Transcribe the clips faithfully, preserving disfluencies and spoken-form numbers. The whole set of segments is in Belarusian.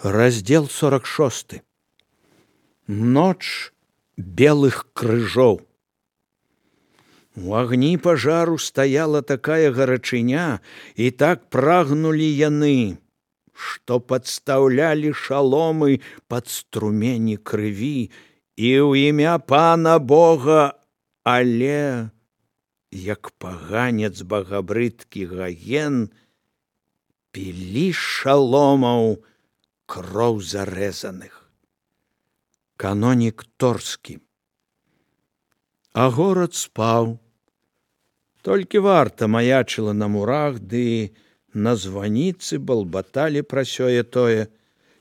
Раздел сорок шосты. Ноч белых крыжоў. У агні пажару стаяла такая гарачыня, і так прагнулі яны, што падстаўлялі шаломы пад струмені крыві, і ў імя пана Бога, але, як паганец багабрыдкі Гаген, пілі шаломаў кроў зарэзаных. Канонік Торскі. А горад спаў. Толькі варта маячыла на мурах, ды на званіцы балбаталі пра сёе-тое,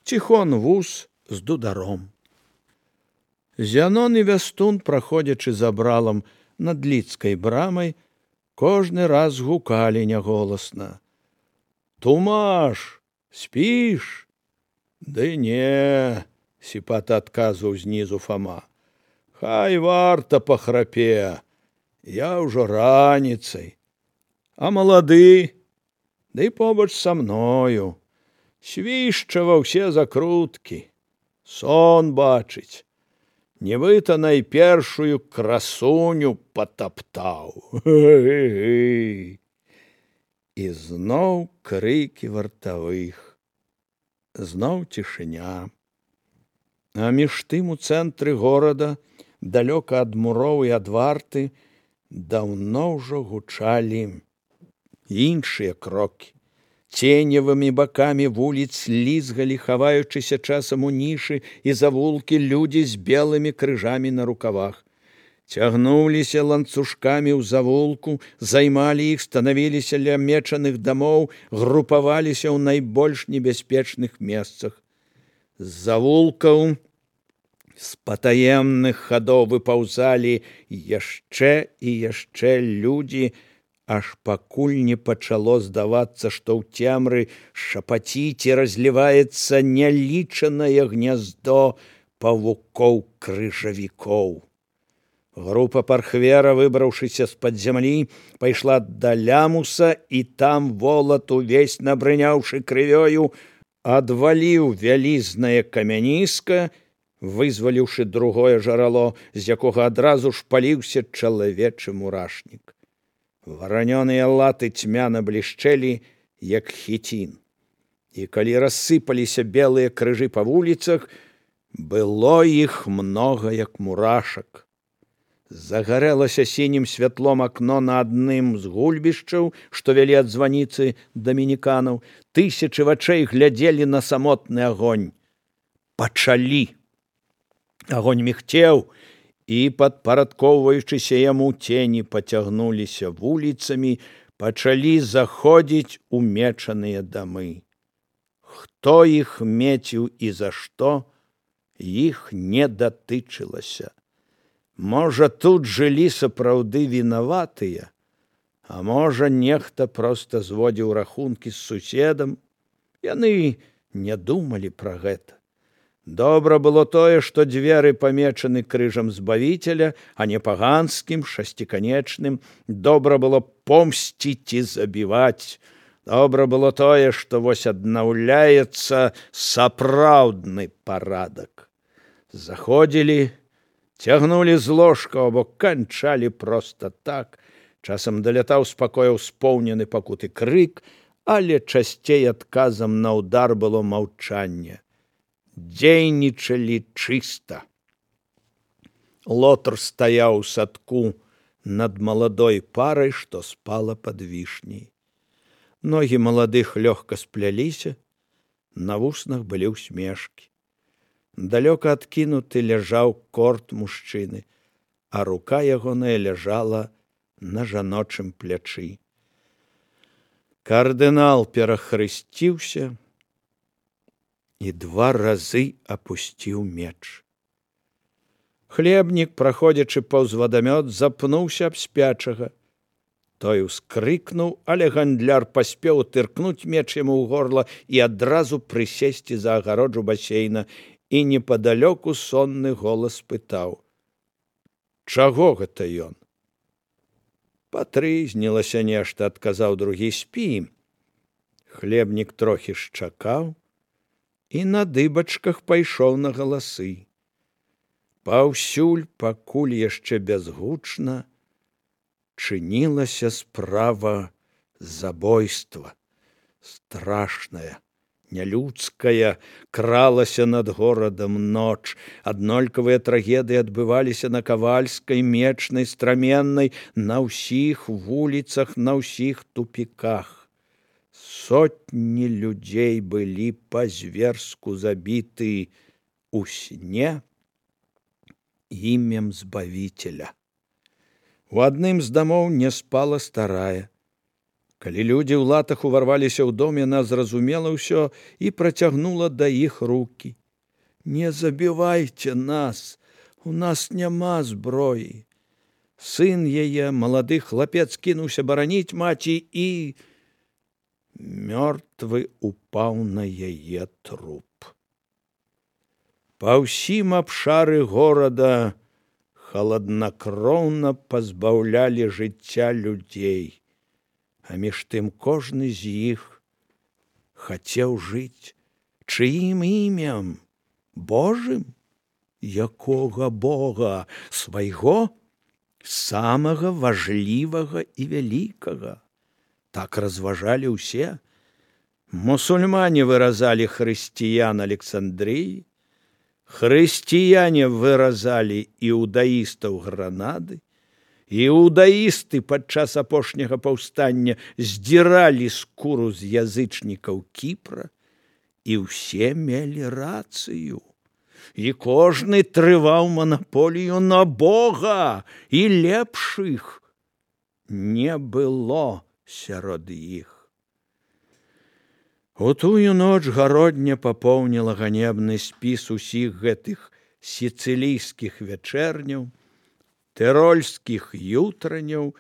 ціхон вуз з дударом. Зянон і Вястун, праходзячы за бралам над Лідскай брамай, кожны раз гукалі няголасна: «Тумаш, спіш?» «Ды не», — сіпата адказваў знізу Фома. «Хай варта пахрапе, я ўжо раніцай. А малады, ды побач са мною, свішча ва ўсе закруткі, сон бачыць, нібыта найпершую красуню патаптаў». І зноў крыкі вартавых. Зноў цішыня. А між тым у цэнтры горада, далёка ад муроў і ад варты, даўно ўжо гучалі іншыя крокі. Ценевымі бакамі вуліц лізгалі, хаваючыся часам у нішы і завулкі, людзі з белымі крыжамі на рукавах. Цягнуліся ланцужкамі ў завулку, займалі іх, станавіліся ля мечаных дамоў, групаваліся ў найбольш небяспечных месцах. З завулкаў, з патаемных хадоў выпаўзалі яшчэ і яшчэ людзі, аж пакуль не пачало здавацца, што ў цемры шапаціць і разліваецца нялічанае гняздо павукоў-крыжавікоў. Група пархвера, выбраўшыся з-пад зямлі, пайшла да лямуса, і там волат, увесь набрыняўшы крывёю, адваліў вялізнае камяніска, вызваліўшы другое жарало, з якога адразу ж паліўся чалавечы мурашнік. Варанёныя латы цьмяна блішчэлі, як хіцін. І калі рассыпаліся белыя крыжы па вуліцах, было іх многа, як мурашак. Загарэлася сінім святлом акно на адным з гульбішчаў, што вялі ад званіцы дамініканаў. Тысячы вачэй глядзелі на самотны агонь. Пачалі. Агонь мігцеў, і, падпарадкоўваючыся яму, цені пацягнуліся вуліцамі, пачалі заходзіць у мечаныя дамы. Хто іх меціў і за што, іх не датычылася. Можа, тут жылі сапраўды вінаватыя, а можа, нехта проста зводзіў рахункі з суседам. Яны не думалі пра гэта. Добра было тое, што дзверы памечаны крыжам Збавіцеля, а не паганскім, шасціканечным. Добра было помсціць і забіваць. Добра было тое, што вось аднаўляецца сапраўдны парадак. Заходзілі, цягнулі з ложка, або канчалі проста так. Часам далятаў з пакояў споўнены пакуты крык, але часцей адказам на ўдар было маўчанне. Дзейнічалі чыста. Лотар стаяў у садку над маладой парай, што спала пад вішняй. Ногі маладых лёгка спляліся, на вуснах былі ўсмешкі. Далёка адкінуты ляжаў корт мужчыны, а рука ягоная ляжала на жаночым плячы. Кардынал перахрысціўся і два разы апусціў меч. Хлебнік, праходзячы паўз вадамёт, запнуўся аб спячага. Той ускрыкнуў, але гандляр паспеў тыркнуць меч яму ў горла і адразу прысесці за агароджу басейна, і непадалёку сонны голас пытаў: «Чаго гэта ён?» «Патрызнілася нешта», — адказаў другі. «Спі». Хлебнік трохі шчакаў, і на дыбачках пайшоў на галасы. Паўсюль, пакуль яшчэ бязгучна, чынілася справа забойства. Страшная, нялюдская, кралася над горадам ноч. Аднолькавыя трагедыі адбываліся на Кавальскай, Мечнай, Страменнай, на ўсіх вуліцах, на ўсіх тупіках. Сотні людзей былі па-зверску забіты ў сне імем Збавіцеля. У адным з дамоў не спала старая. Калі людзі ў латах уварваліся ў дом, яна зразумела ўсё і працягнула да іх рукі. «Не забівайце нас, у нас няма зброі». Сын яе, малады хлапец, кінуўся бараніць маці і мёртвы упаў на яе труп. Па ўсім абшары горада халаднакроўна пазбаўлялі жыцця людзей, а між тым кожны з іх хацеў жыць чыім імем? Божым? Якога Бога? Свайго? Самага важлівага і вялікага. Так разважалі ўсе. Мусульмане выразалі хрысціян Александрыі, хрысціяне выразалі іудаістаў Гранады, іудаісты падчас апошняга паўстання здзіралі скуру з язычнікаў Кіпра, і ўсе мелі рацыю. І кожны трываў манаполію на Бога, і лепшых не было сярод іх. У тую ноч гародня папоўніла ганебны спіс усіх гэтых сіцылійскіх вячэрняў, тэрольскіх ютраняў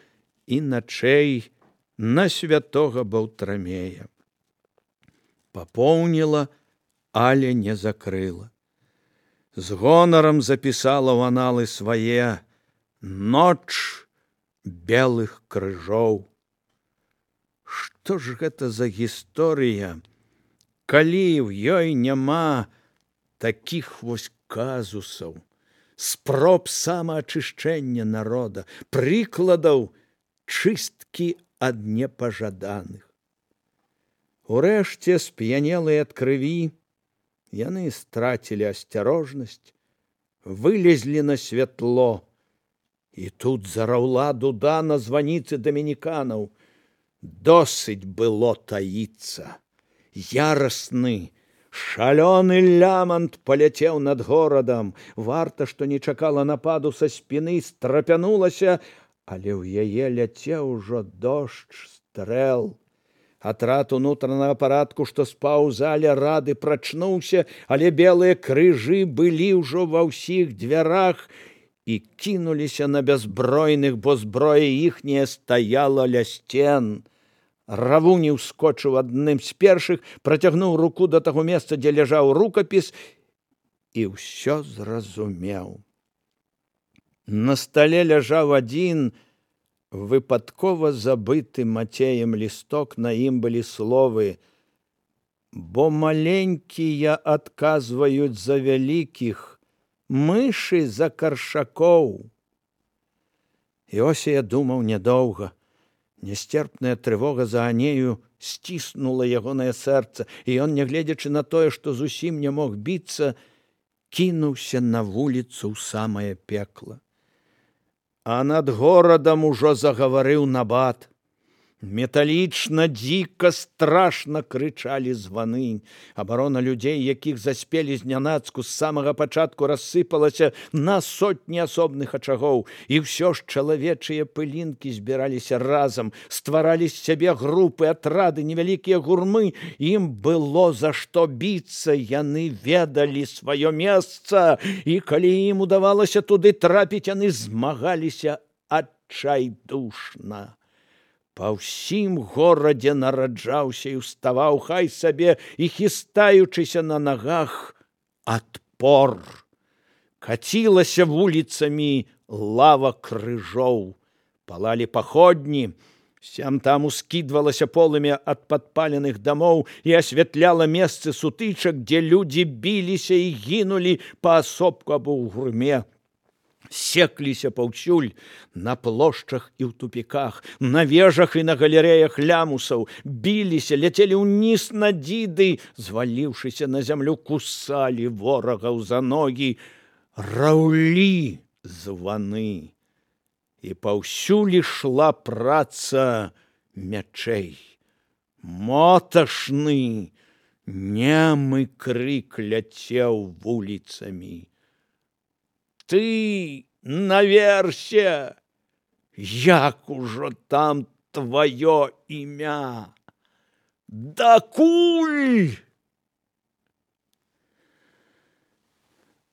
і начэй на святога Баўтрамея. Папоўніла, але не закрыла. З гонарам запісала ў аналы свае «Ноч белых крыжоў». Што ж гэта за гісторыя, калі ў ёй няма такіх вось казусаў, спроб самаачышчэння народа, прыкладаў чысткі ад непажаданых. Урэшце, сп'янелыя ад крыві, яны страцілі асцярожнасць, вылезлі на святло, і тут зараўла дуда на званіцы дамініканаў. Досыць было таіцца. Ярасны, шалёны лямант паляцеў над горадам. Варта, што не чакала нападу са спіны, страпянулася, але ў яе ляцеў ужо дождж стрэл. Атрад унутранага парадку, што спаў у зале, рады прачнуўся, але белыя крыжы былі ўжо ва ўсіх дзвярах і кінуліся на бязбройных, бо зброя іхняя стаяла ля сцен. Равуні ўскочыў адным з першых, працягнуў руку да таго месца, дзе ляжаў рукапіс, і ўсё зразумеў. На стале ляжаў адзін выпадкова забыты Мацеем лісток, на ім былі словы «Бо маленькія адказваюць за вялікіх, мышы за каршакоў». Іосія думаў нядоўга. Нясцерпная трывога за Анею сціснула ягонае сэрца, і ён, нягледзячы на тое, што зусім не мог біцца, кінуўся на вуліцу ў самае пекла. А над горадам ужо загаварыў набат. Металічна, дзіка, страшна крычалі званы. Абарона людзей, якіх заспелі знянацку, з самага пачатку рассыпалася на сотні асобных ачагоў. І ўсё ж чалавечыя пылінкі збіраліся разам, стваралі з сябе групы, атрады, невялікія гурмы. Ім было за што біцца, яны ведалі сваё месца. І калі ім удавалася туды трапіць, яны змагаліся адчайдушна. Па ўсім горадзе нараджаўся і ўставаў, хай сабе і хістаючыся на нагах, адпор. Кацілася вуліцамі лава крыжоў, палалі паходні, Сям-там ускідвалася полымя ад падпаленых дамоў і асвятляла месцы сутычак, дзе людзі біліся і гінулі паасобку або ў гурме. Секліся паўсюль на плошчах і ў тупіках, на вежах і на галерэях лямусаў, біліся, ляцелі ўніз на дзіды, зваліўшыся на зямлю, кусалі ворагаў за ногі, раўлі званы. І паўсюль ішла праца мячэй. Моташны, немы крык ляцеў вуліцамі. Ты наверсе, як ужо там твоё імя? Дакуль?